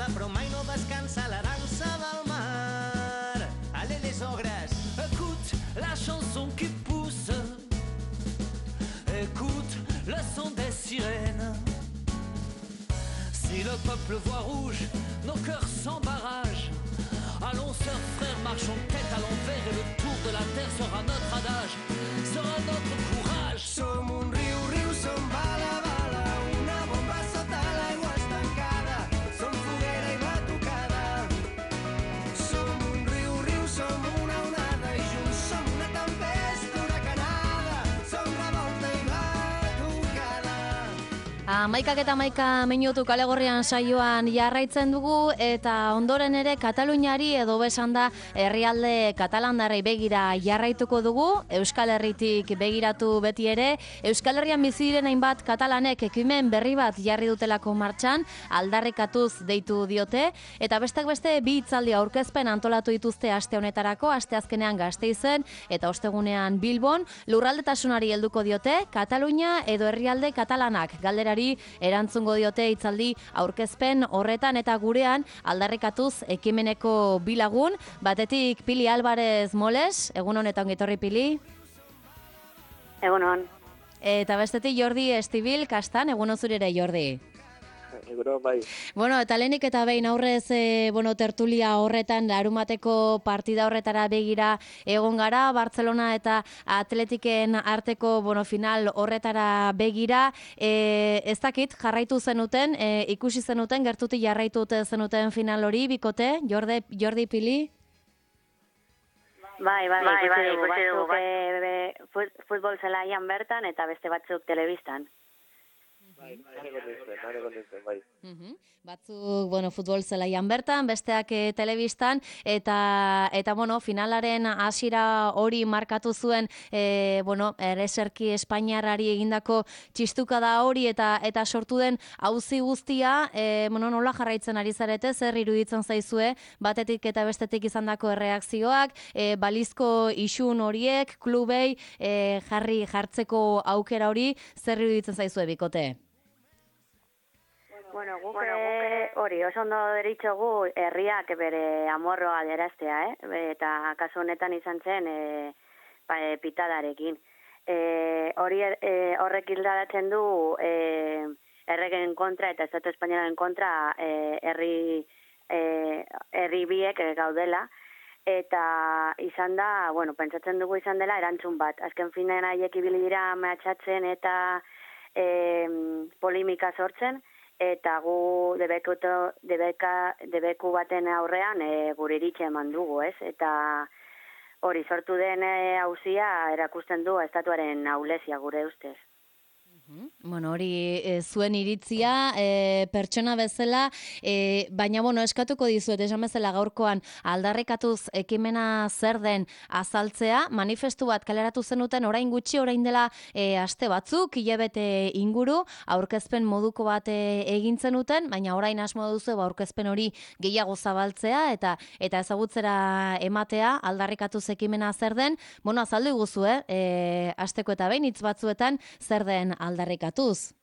nada, però mai no descansa la dansa del mar. Allez les ogres, écoute la chanson qui pousse, écoute le son des sirènes. Si le peuple voit rouge, nos cœurs sans barrage. Allons sœurs, frères, marchons tête à l'envers et le tour de la terre sera notre adage, sera notre courage. Som un riu, riu, som bala, bala, una bomba sota l'aigua estancada, som foguera i batucada. Som un riu, riu, som una onada i junts som una tempesta huracanada, som revolta i batucada. Amaikak eta amaika minutu kalegorrian saioan jarraitzen dugu eta ondoren ere Kataluniari edo besan da herrialde katalandarrei begira jarraituko dugu, Euskal Herritik begiratu beti ere. Euskal Herrian bizi diren hainbat katalanek ekimen berri bat jarri dutelako martxan, aldarrikatuz deitu diote, eta besteak beste bi hitzaldi aurkezpen antolatu dituzte aste honetarako, asteazkenean Gasteizen eta ostegunean Bilbon. Lurraldetasunari helduko diote, Katalunia edo herrialde katalanak galderari erantzungo diote hitzaldi aurkezpen horretan, eta gurean aldarrikatuz ekimeneko bilagun, batetik Pili Alvarez Moles, egunon eta ongitorri Pili. Egunon. Eta bestetik Jordi Estibil Kastan, egunon zure ere Jordi. Eguro, bai. Bueno, eta lehenik eta behin aurrez tertulia horretan, larumateko partida horretara begira egon gara, Barcelona eta Atletiken arteko final horretara begira. Ez dakit, jarraitu zenuten, ikusi zenuten, gertutik jarraitu zenuten final hori, bikote, Jordi Pili? Bai, ikusi dugu, futbol zelaian bertan eta beste batzuk telebistan. Bai. Batzuk, futbol zelaian bertan, besteak telebistan, eta finalaren hasiera hori markatu zuen, ereserki Espainiarrari egindako txistukada hori, eta sortu den auzi guztia, nola jarraitzen ari zarete, zer iruditzen zaizue, batetik eta bestetik izandako erreakzioak, balizko isun horiek, klubei jartzeko aukera hori, zer iruditzen zaizue bikote? Guk hori, oso ondo deritxogu herriak bere amorroa adieraztea, eta kasu honetan izan zen pitadarekin. Horrek hildaratzen du erregen kontra eta Estatu Espainiaren kontra herri biek gaudela, eta izan da, pentsatzen dugu izan dela erantzun bat. Azken finean haiek ibili dira mehatxatzen eta polimika sortzen, eta gu debeku baten aurrean gure iritxe eman dugu, ez? Eta hori sortu den auzia erakusten du estatuaren ahulezia gure ustez. Hori zuen iritzia pertsona bezala, baina eskatuko dizuet, esan bezala gaurkoan aldarrikatuz ekimena zer den azaltzea, manifestu bat kaleratu zenuten orain gutxi, orain dela aste batzuk, hilabete inguru, aurkezpen moduko bat egin zenuten, baina orain asmo duzu aurkezpen hori gehiago zabaltzea eta ezagutzera ematea, aldarrikatuz ekimena zer den, azaldu iguzu, asteko eta behin hitz batzuetan zer den aldarrikatuz.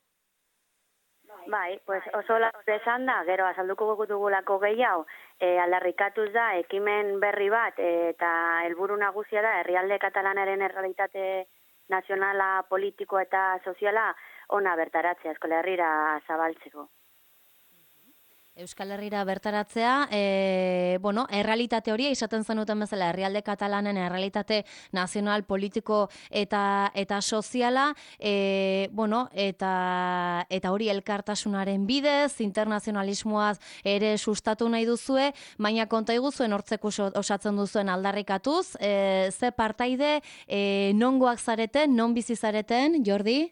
Bai, oso esan da, gero azalduko dugulako gehiago, aldarrikatuz da, ekimen berri bat, eta helburu nagusia da, herrialde katalanaren errealitate nazionala, politiko eta soziala ona bertaratzea, Euskal Herrira zabaltzeko. Euskal Herrira bertaratzea, errealitate hori, izaten zenuten bezala, herrialde katalanen errealitate nazional, politiko eta soziala, eta hori elkartasunaren bidez, internazionalismoaz ere sustatu nahi duzue, baina konta iguzuen hortzeko osatzen duzuen aldarrikatuz, ze partaide, nongoak zareten, non bizi zareten, Jordi?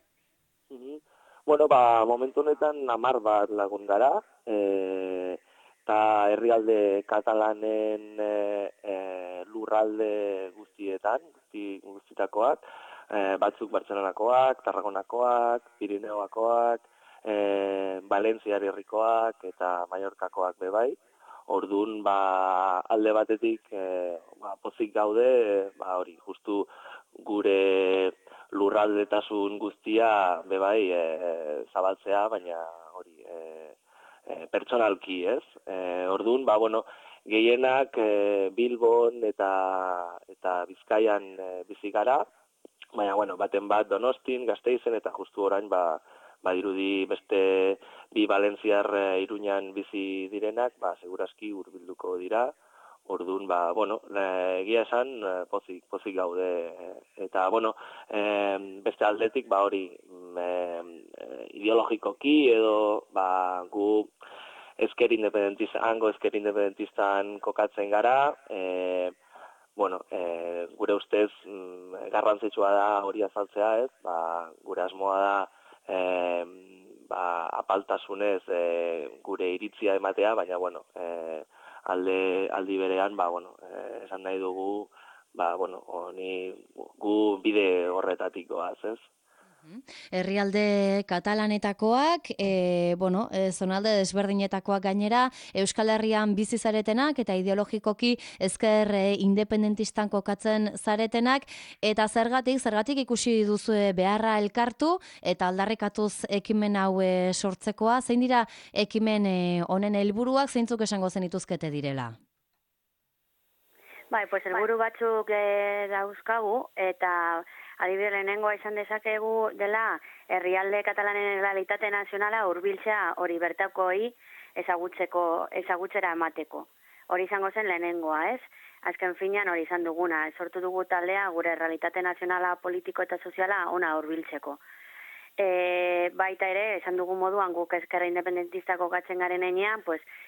Momentu honetan 10 bat lagun gara, eta herrialde katalanen lurralde guztietakoak, batzuk Bartzelonakoak, Tarragonakoak, Pirineoakoak, Valentziar herrikoak eta Mallorcakoak bebai. Orduan, alde batetik pozik gaude, hori, justu gure lurraldetasun guztia bebai zabaltzea, baina hori pertsonalki, ez? Orduan, gehienak Bilbon eta Bizkaian bizi gara, baina, baten bat Donostin, Gasteizen, eta justu orain, dirudi beste bi Valentziar Iruñan bizi direnak, segurazki hurbilduko dira. Orduan, egia esan, pozik gaude. Eta, beste aldetik, hori, ideologikoki edo, gu hango ezker independentistan kokatzen gara, gure ustez garrantzitsua da hori azaltzea, ez? Gure asmoa da apaltasunez gure iritzia ematea, baina aldi berean esan nahi dugu gu bide horretatik goaz, ez? Herrialde katalanetakoak, zonalde desberdinetakoak gainera, Euskal Herrian bizi zaretenak eta ideologikoki ezker independentistan kokatzen zaretenak, eta zergatik ikusi duzue beharra elkartu eta aldarrikatuz ekimen hau sortzekoa, zein dira ekimen honen helburuak, zeintzuk esango zenituzkete direla? Helburu batzuk dauzkagu, eta adibidez lehenengoa izan dezakegu dela herrialde katalanen errealitate nazionala hurbiltzea hori bertakoi ezagutzera emateko. Hori izango zen lehenengoa, ez? Azken finean hori izan duguna, sortu dugu taldea gure errealitate nazionala politiko eta soziala ona hurbiltzeko. Baita ere, esan dugu moduan guk ezkerra independentistako gatzen garen enean,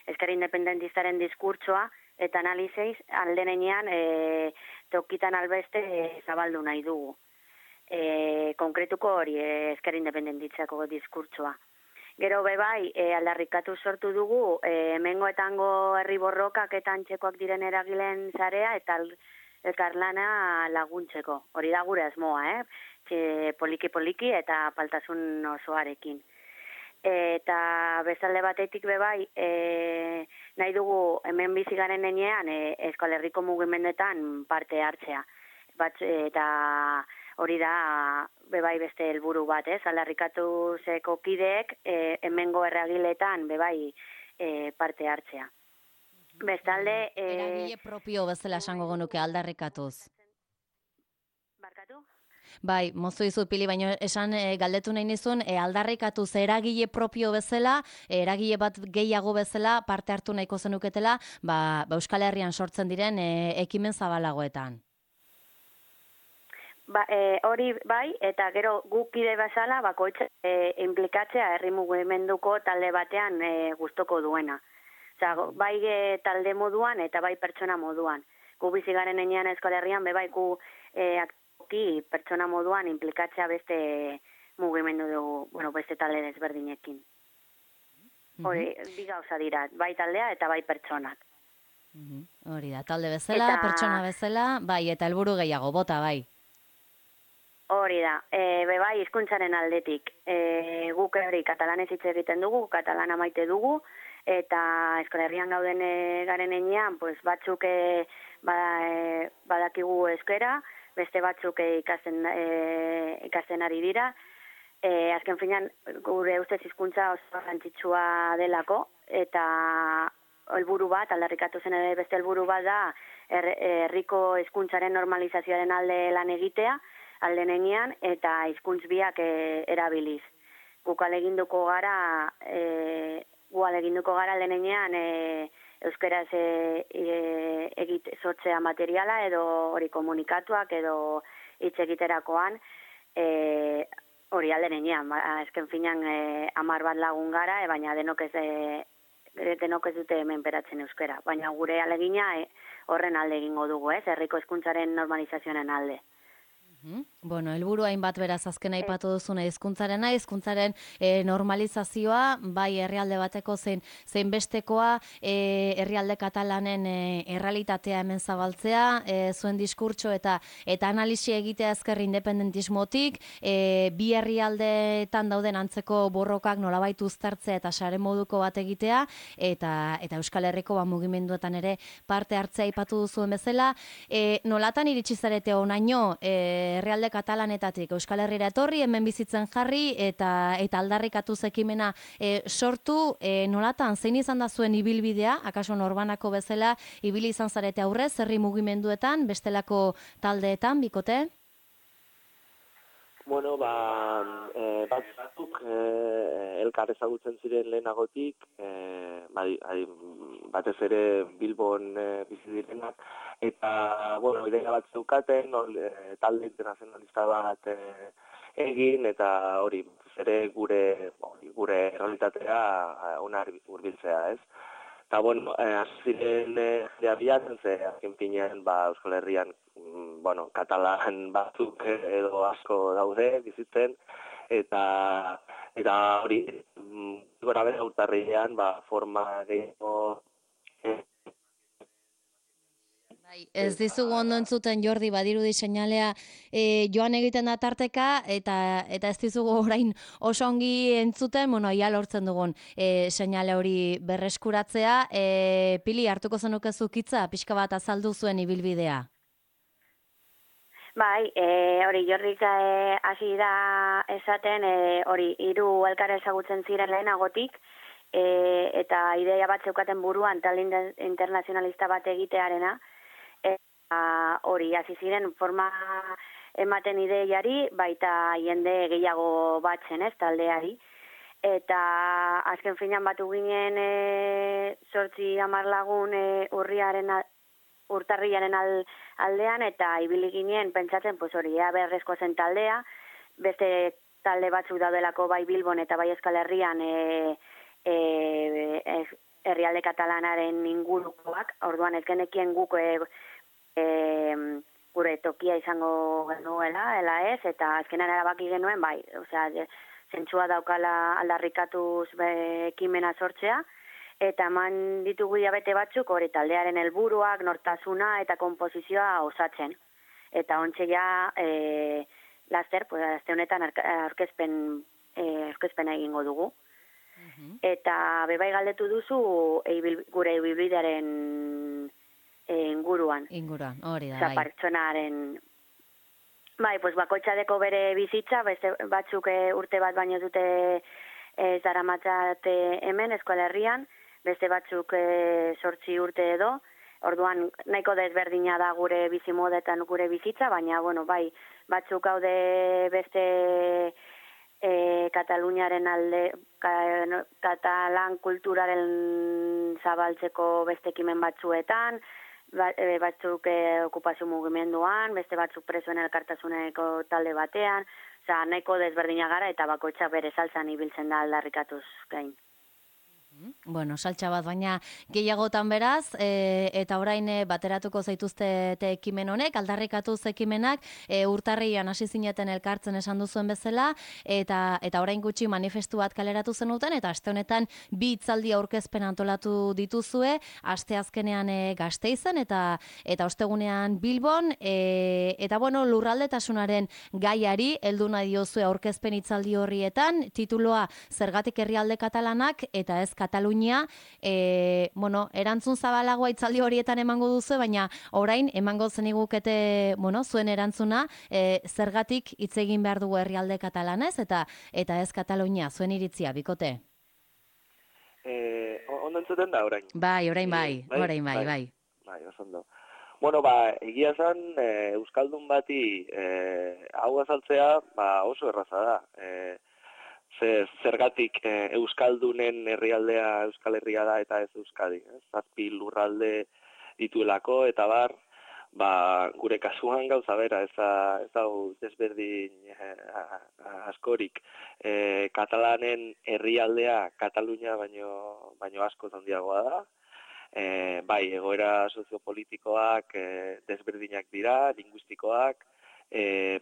ezkerra independentistaren diskurtsoa eta analizeiz alden enean tokitan albeste zabaldu nahi dugu. Konkretuko hori ezker independentitzako diskurtsoa. Gero aldarrikatu sortu dugu hemengoetango herri borrokak eta antzekoak diren eragileen zarea eta elkarlana laguntzeko. Hori da gure asmoa, poliki eta apaltasun osoarekin. Eta bezalde batetik nahi dugu hemen bizi garen enean Euskal Herriko mugimendetan parte hartzea. Eta hori da beste helburu bat, aldarrikatu zeko kideek hemengo erreagiletan parte hartzea. Bestalde... Eragile propio bezala esango genuke aldarrikatuz. Barkatu? Bai, mozu dizut Pili, baina esan galdetu nahi nizun, aldarrikatuz eragile propio bezala, eragile bat gehiago bezala parte hartu nahiko zenuketela, Euskal Herrian sortzen diren ekimen zabalagoetan. Hori eta gero gukide bezala bakoitza implikatzea herri mugimenduko talde batean gustoko duena. Bai talde moduan eta bai pertsona moduan. Gu bizi garen enean Euskal Herrian gu aktiboki pertsona moduan implikatzea beste mugimendu dugu, beste talde desberdinekin. Hori, bi gauza dira, bai taldea eta bai pertsonak. Hori da, talde bezala, pertsona bezala, bai, eta helburu gehiago, bota, bai. Hori da, hizkuntzaren aldetik. Guk hori katalanez hitz egiten dugu, katalana maite dugu, eta Euskal Herrian gauden garen enean, batzuk badakigu euskera, beste batzuk ikasten ari dira. Azken finean, gure ustez hizkuntza oso garrantzitsua delako, eta helburu bat, aldarrikatu zen ere beste helburu bat da, herriko hizkuntzaren normalizazioaren alde lan egitea, alde nenean, eta hizkuntz biak erabiliz. Gu aleginduko gara alde nenean euskaraz sortzea materiala edo hori komunikatuak edo hitz egiterakoan hori alde nenean. Ezken finan 10 bat lagun gara, baina denok ez dute menperatzen euskara. Baina gure alegina horren alde egingo dugu, herriko hizkuntzaren normalizazioaren alde. Bueno, helburu hainbat beraz azken aipatu duzuna hizkuntzaren normalizazioa, bai herrialde bateko zein bestekoa, herrialde katalanen errealitatea hemen zabaltzea, zuen diskurtso eta analisi egitea ezker independentismotik, bi herrialdeetan dauden antzeko borrokak nolabait uztartzea eta sare moduko bat egitea, eta Euskal Herriko mugimenduetan ere parte hartzea aipatu duzuen bezala. Nolatan iritsi zarete honaino, herrialde katalanetatik Euskal Herrira etorri, hemen bizitzen jarri eta aldarrikatu ekimena sortu, nolatan zein izan da zuen ibilbidea, akaso norbanako bezala ibili izan zarete aurrez, herri mugimenduetan, bestelako taldeetan, bikote? Bueno, batzuk elkar ezagutzen ziren lehenagotik, batez ere Bilbon bizi direnak, eta, bueno, ideia bat zeukaten, talde internazionalista bat egin, eta hori, ere gure realitatea ona hurbiltzea, ez? Eta, bueno, ziren bilatzen ze, azken finean, Euskal Herrian, katalan batzuk edo asko daude bizitzen, eta hori, gora bera urtarrilean, forma gehiago. Ez dizugu ondo entzuten, Jordi, badirudi seinalea joan egiten da tarteka, eta ez dizugu orain oso ongi entzuten, ia lortzen dugun seinale hori berreskuratzea. Pili, hartuko zenukezu hitza, pixka bat azaldu zuen ibilbidea. Bai, hori Jordik hasi da esaten, hori hiru elkar ezagutzen ziren lehenagotik, eta ideia bat zeukaten buruan talde internazionalista bat egitearena, hori hasi ziren forma ematen ideiari, baita jende gehiago batzen, ez, taldeari. Eta azken finean batu ginen 8-10 lagun urtarrilaren aldean, eta ibili ginen pentsatzen, hori, beharrezko zen taldea, beste talde batzuk daudelako bai Bilbon eta bai Euskal Herrian herrialde katalanaren ingurukoak, orduan ez genekien guk gure tokia izango genuela, ez, eta azkenan erabaki genuen, bai, zentzua daukala aldarrikatuz ekimena sortzea, eta eman ditugu hilabete batzuk hori taldearen helburuak, nortasuna eta konposizioa osatzen. Eta ontxe ja, laster, azte honetan aurkezpena egingo dugu. Eta bebai galdetu duzu gure ibilbidearen inguruan. Hori da, bai. Pertsonaren, bai, bakoitzadeko bere bizitza, batzuk urte bat baino dute daramatzate hemen, Euskal Herrian, beste batzuk 8 urte edo, orduan nahiko desberdina da gure bizimodetan gure bizitza, baina, bai, batzuk haude beste Kataluniaren alde, katalan kulturaren zabaltzeko beste ekimen batzuetan, batzuk okupazio mugimenduan, beste batzuk presoen elkartasuneko talde batean, nahiko desberdina gara eta bakoitza bere saltzan ibiltzen da aldarrikatuz gain. Bueno, saltxa bat, baina gehiagotan beraz, eta orain bateratuko zaituzte ekimen honek, aldarrikatuz ekimenak, urtarrian hasi zineten elkartzen esan duzuen bezala, eta orain gutxi manifestu bat kaleratu zenuten, eta aste honetan 2 hitzaldi aurkezpen antolatu dituzue, aste azkenean Gasteizen, eta ostegunean Bilbon, eta lurraldetasunaren gaiari, heldu nahi diozue aurkezpen hitzaldi horrietan, tituloa Zergatik herrialde katalanak, eta ez Katalunia, erantzun zabalagoa hitzaldi horietan emango duzu, baina orain emango zenigukete, zuen erantzuna, zergatik hitz egin behar dugu herrialde katalanez, eta ez Katalunia, zuen iritzia, bikote? Ondo entzuten da, orain? Bai, orain bai. Bai, oso ondo. Egia zen, Euskaldun bati hau azaltzea oso erraza da. Zergatik Euskaldunen herrialdea Euskal Herria da eta ez Euskadi. 7 lurralde dituelako eta gure kasuan gauza bera, ez hau desberdin askorik. Katalanen herrialdea Katalunia baino asko handiagoa da. Bai, egoera soziopolitikoak desberdinak dira, linguistikoak,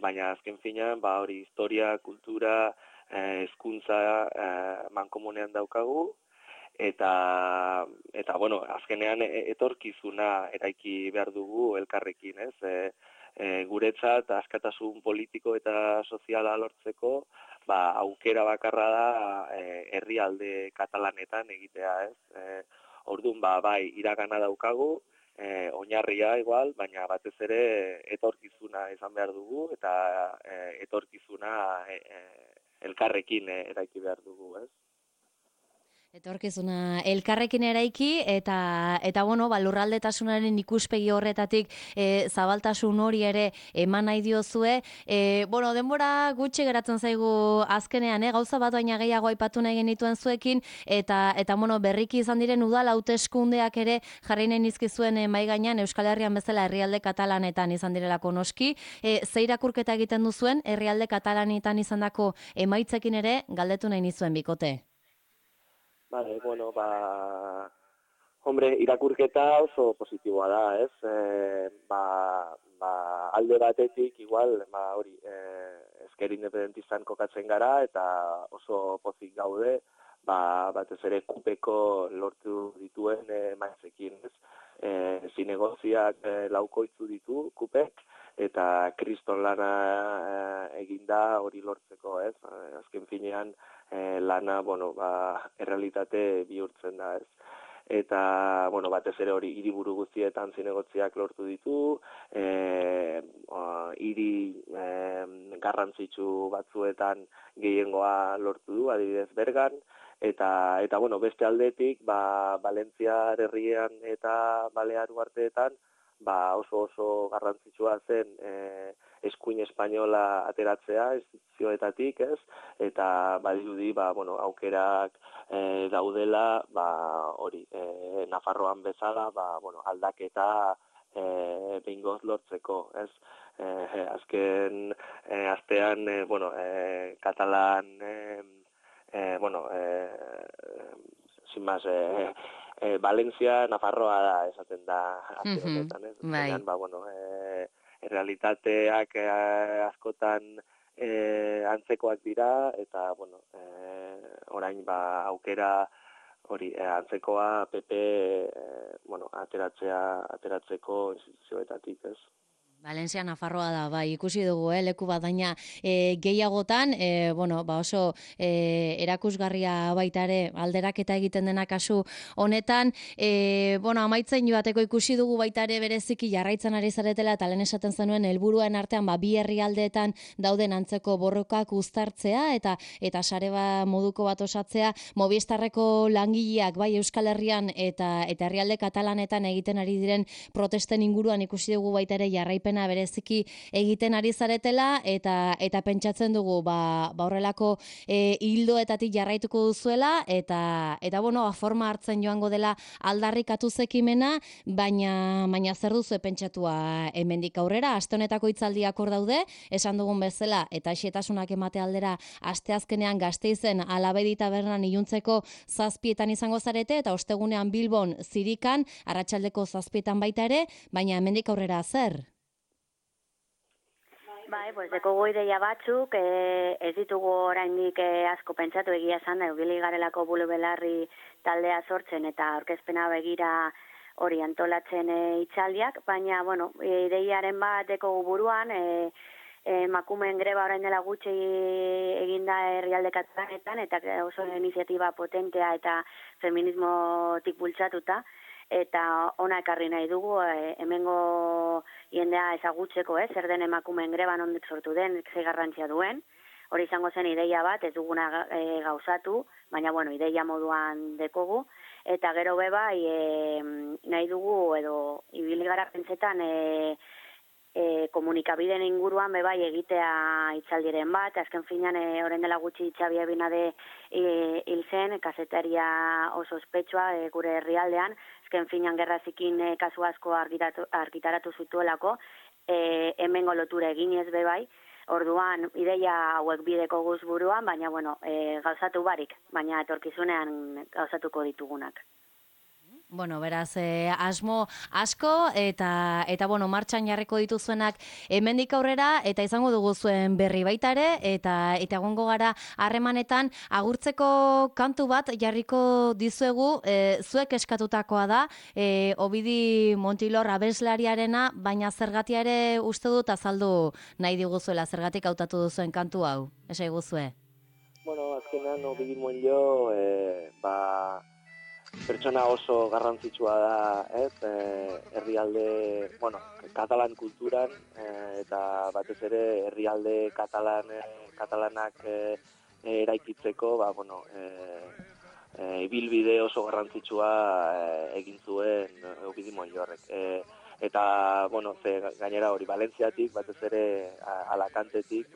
baina azken finean hori historia, kultura, hezkuntza mankomunean daukagu, eta azkenean etorkizuna eraiki behar dugu elkarrekin, ez? Guretzat askatasun politiko eta soziala lortzeko, aukera bakarra da herrialde katalanetan egitea, ez? Orduan, bai, iragana daukagu, oinarria igual, baina batez ere etorkizuna izan behar dugu, eta etorkizuna elkarrekin eraiki behar dugu, ez? Etorkizuna elkarrekin eraiki eta bueno, lurraldetasunaren ikuspegi horretatik zabaltasun hori ere eman nahi diozue. Bueno, denbora gutxi geratzen zaigu azkenean, gauza bat baina gehiago aipatu nahi genituen zuekin eta bueno, berriki izan diren udal hauteskundeak ere jarri nahi nizkizuen mahai gainean Euskal Herrian bezala herrialde katalanetan izan direlako noski. Ze irakurketa egiten duzuen herrialde katalanetan izandako emaitzekin ere galdetu nahi nizuen bikote. Vale, bueno, hombre, irakurketa oso positiboa da, ez? Alde batetik, igual, hori, ezker independentistan kokatzen gara, eta oso pozik gaude, batez ere kupeko lortu dituen maitzekin, ez? Zinegoziak laukoitzu ditu kupek, eta kriston lana eginda hori lortzeko, ez? Azken finean, lana, bueno, errealitate bihurtzen da, ez. Eta, bueno, batez ere hori hiriburu guztietan zinegotziak lortu ditu, hiri garrantzitsu batzuetan gehiengoa lortu du, adibidez Bergan, eta bueno, beste aldetik, Valentziar herrian eta Balear uharteetan, oso garrantzitsua zen eskuin espainola ateratzea instituzioetatik, ez? Eta badirudi, bueno, aukerak daudela, hori, Nafarroan bezala, bueno, aldaketa behingoz lortzeko, ez? Azken astean, bueno, katalan, bueno, sin más, Valencia, Nafarroa da, esaten da, azken honetan, ez? Baina, bueno, realitateak askotan antzekoak dira, eta, bueno, orain aukera hori antzekoa PP, bueno, ateratzeko instituzioetatik, ez? Valencia, Nafarroa da, ikusi dugu, leku bat, baina gehiagotan, bueno, oso erakusgarria baita ere alderaketa egiten dena kasu honetan, bueno, amaitzen joateko ikusi dugu baita ere bereziki jarraitzen ari zaretela, eta lehen esaten zenuen helburuen artean, bi herrialdeetan dauden antzeko borrokak uztartzea, eta sare moduko bat osatzea, Movistarreko langileak, bai Euskal Herrian, eta herrialde katalanetan egiten ari diren protesten inguruan ikusi dugu baita ere jarraipen bereziki egiten ari zaretela eta pentsatzen dugu horrelako hildoetatik jarraituko duzuela eta bueno, forma hartzen joango dela aldarrikatu zekimena, baina zer duzu pentsatua hemendik aurrera, aste honetako hitzaldiak hor daude, esan dugun bezala eta xetasunak emate aldera asteazkenean Gasteizen Alabedi tabernan iluntzeko 7etan izango zarete eta ostegunean Bilbon Zirikan arratsaldeko 7etan baita ere, baina hemendik aurrera zer? Pues dekogu ideia batzuk, ez ditugu oraindik asko pentsatu egia esan da, ibili garelako bulu belarri taldea sortzen eta aurkezpena begira hori antolatzen hitzaldiak, baina, bueno, ideiaren bat dekogu buruan, emakumeen greba orain dela gutxi eginda herrialde katalanetan, eta oso iniziatiba potentea eta feminismotik bultzatuta, eta ona ekarri nahi dugu, hemengo jendea ezagutzeko, zer den emakumeen greba nondik sortu den, ze garrantzia duen. Hori izango zen ideia bat, ez duguna gauzatu, baina, bueno, ideia moduan dekogu. Eta gero bai, nahi dugu, edo ibili gara pentsetan, komunikabideen inguruan bai egitea hitzaldiren bat, azken finean orain dela gutxi Xabi Abinade hil zen, kazetaria oso ospetsua gure herrialdean, azken finean gerra zikin kasu asko argitaratu zituelako, hemengo lotura eginez bai, orduan ideia hauek bideko guz buruan, baina bueno, gauzatu barik, baina etorkizunean gauzatuko ditugunak. Bueno, beraz, asmo asko eta bueno, martxan jarriko dituzuenak hemendik aurrera eta izango dugu zuen berri baita ere eta egongo gara harremanetan agurtzeko kantu bat jarriko dizuegu, zuek eskatutakoa da, Obidi Montilor abeslariarena, baina zergatia ere uste dut azaldu nahi diguzuela, zergatik hautatu duzuen kantu hau, esai guzue. Bueno, azkenan Obidi Montilor, pertsona oso garrantzitsua da, ez? Herrialde, katalan kulturan, eta batez ere herrialde katalanak eraikitzeko, ibilbide oso garrantzitsua egin zuen Eugidi Montllorrek. Eta, gainera hori, Valentziatik, batez ere Alacantetik,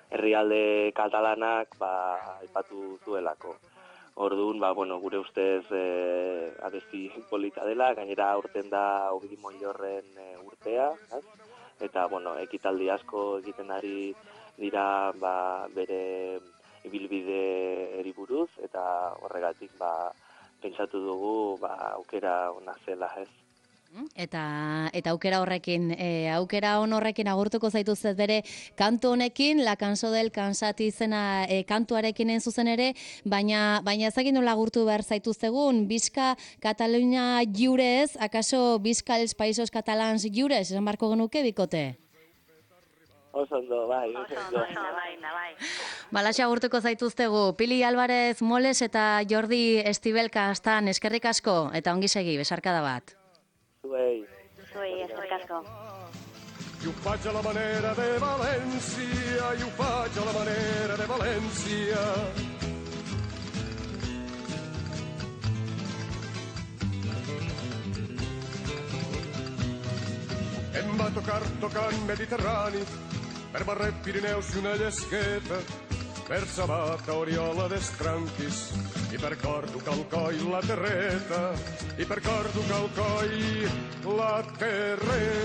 herrialde katalanak aipatu zuelako. Orduan, gure ustez abesti polita dela, gainera aurten da Eugidi Montllorren urtea, eta, ekitaldi asko egiten ari dira bere ibilbide buruz, eta horregatik pentsatu dugu aukera ona zela, ez? Eta aukera horrekin, aukera horrekin agurtuko zaituzet bere kantu honekin, La Cançó del Cansat izena kantuarekin zuzen ere, baina ezakin nola agurtu behar zaituztegun, Bizka Katalunia lliurez, akaso Bizka els Països Catalans lliurez, esan barko genuke bikote? Osondo, bai. Balaxe agurtuko zaituztegu, Pili Álvarez Moles eta Jordi Estibel Kastan, eskerrik asko, eta ongi segi, besarkada bat. Zuei, eskerrik asko. I ho faig a la manera de València, i ho faig a la manera de València. Em va tocar tocant Mediterrani, per Barret, Pirineus i una llesqueta, per Sabata, Oriola d'Estranquis, i per Cordo, Calcoi, la Terreta, i per Cordo, Calcoi, la Terreta.